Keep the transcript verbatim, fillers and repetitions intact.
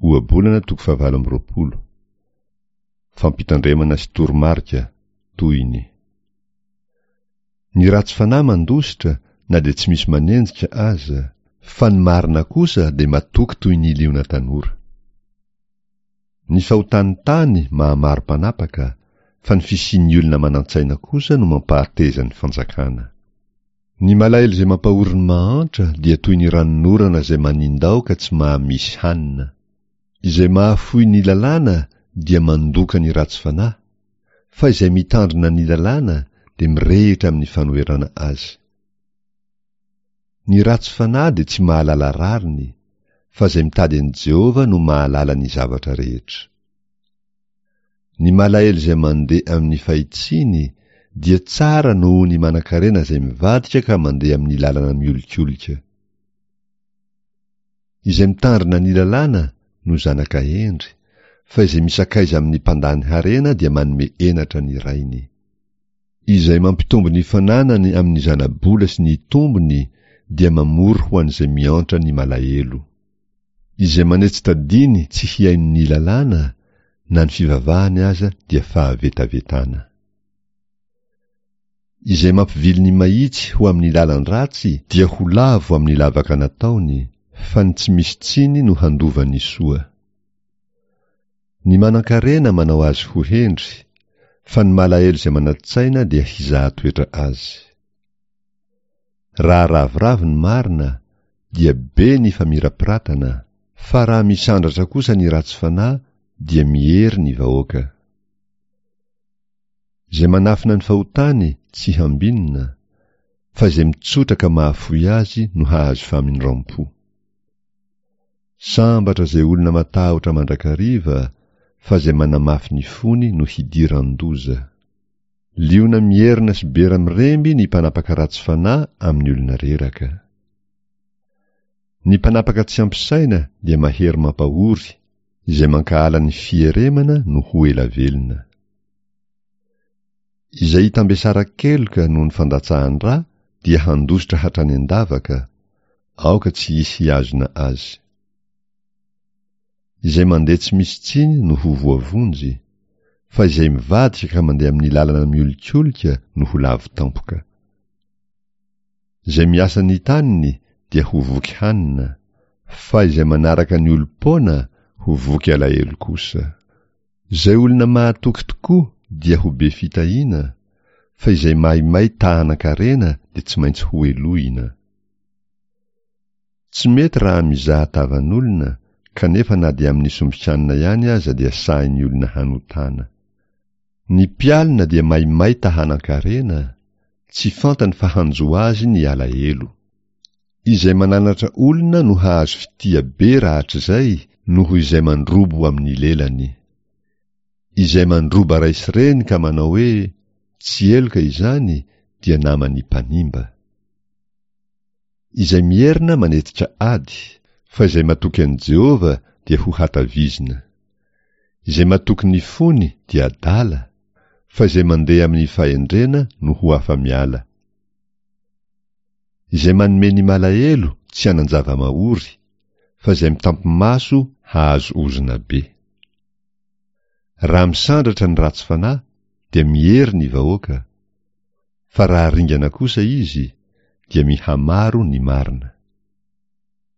Ohabolana toko fahavalo amby roapolo. Fampitandremana sy toromarika, tohiny. Ny ratsy fanahy mandositra na dia tsy misy manenjika aza, fa ny marina kosa dia matoky toy ny liona tanora. Ny fahotan'ny tany mahamaro mpanapaka, fa ny fisian'ny olona manan-tsaina kosa no mampahateza ny fanjakana. Ny malahelo izay mampahory ny mahantra dia toy ny ranonorana izay manindao ka tsy mahamisy hanina. Izay mahafoy ny lalàna dia mandoka ny ratsy fanahy, fa izay mitandrina ny lalàna dia mirehitra amin'ny fanoherana azy. Ny ratsy fanahy dia tsy mahalala rariny, fa izay mitady an'i Jehovah no mahalala ny zavatra rehetra. Ny malahelo izay mandeha amin'ny fahitsiany dia tsara noho ny manankarena izay mivadika ka mandeha amin'ny lalana miolikolika. Izay mitandrina ny lalàna no zanaka hendry, fa izay misakaiza amin'ny mpandany harena dia manome henatra ny rainy. Izay mampitombo ny fananany amin'ny zana-bola sy ny tombony dia mamory ho an'izay miantra ny malahelo. Izay manetsi-tadiny tsy hihaino ny lalàna, na ny fivavahany aza dia fahavetavetana. Izay mampivily ny mahitsy ho amin'ny lalan-dratsy dia ho lavo amin'ny lavaka nataony, fa ny tsy misy tsiny no handova ny soa. Ny manankarena manao azy ho hendry, fa ny malahelo izay manan-tsaina dia hizaha toetra azy. Raha ravoravo ny marina, dia be ny famirapiratana, fa raha misandratra kosa ny ratsy fanahy dia miery ny vahoaka. Izay manafina ny fahotany tsy hambinina, fa izay mitsotra ka mahafoy azy no hahazo famindram-po. Sambatra izay olona matahotra mandrakariva, fa izay manamafy ny fony no hidiran-doza. Liona mierona sy bera miremby ny mpanapaka ratsy fanahy amin'ny olona reraka. Ny mpanapaka tsy ampy saina dia mahery mampahory, izay mankahala ny fieremana no ho ela velona. Izay hitambesara-keloka noho ny fandatsahan-dra dia handositra hatrany an-davaka, aoka tsy hisy hihazona azy. Izay mandeha tsy misy tsiny no ho voavonjy, fa izay mivadika ka mandeha amin'ny lalana miolikolika no ho lavo tampoka. Izay miasa ny taniny dia ho voky hanina, fa izay manaraka ny olom-poana ho voky alahelo kosa. Izay olona mahatoky tokoa dia ho be fitahiana, fa izay maimay ta hanan-karena dia tsy maintsy hohelohina. Tsy mety raha mizaha tavan'olona, kanefa na dia amin'ny sombin-kanina ihany aza dia sahin'ny olona hanotana. Ny mpialona dia maimay ta hanan-karena, tsy fantany fa hanjo azy ny alahelo. Izay mananatra olona no hahazo fitia be rahatrizay noho izay mandrobo amin'ny lelany. Izay mandroba ray sy reny ka manao hoe tsy heloka izany dia naman'ny mpanimba. Izay mierona manetsika ady, fa izay matoky an'i Jehovah dia ho hatavizina. Izay matoky ny fony dia adala, fa izay mandeha amin'ny fahendrena no ho afa-miala. Izay manome ny malahelo tsy hanan-java-mahory, fa izay mitampi-maso hahazo ozona be. Raha misandratra ny ratsy fanahy dia miery ny vahoaka, fa raha ringana kosa izy dia mihamaro ny marina.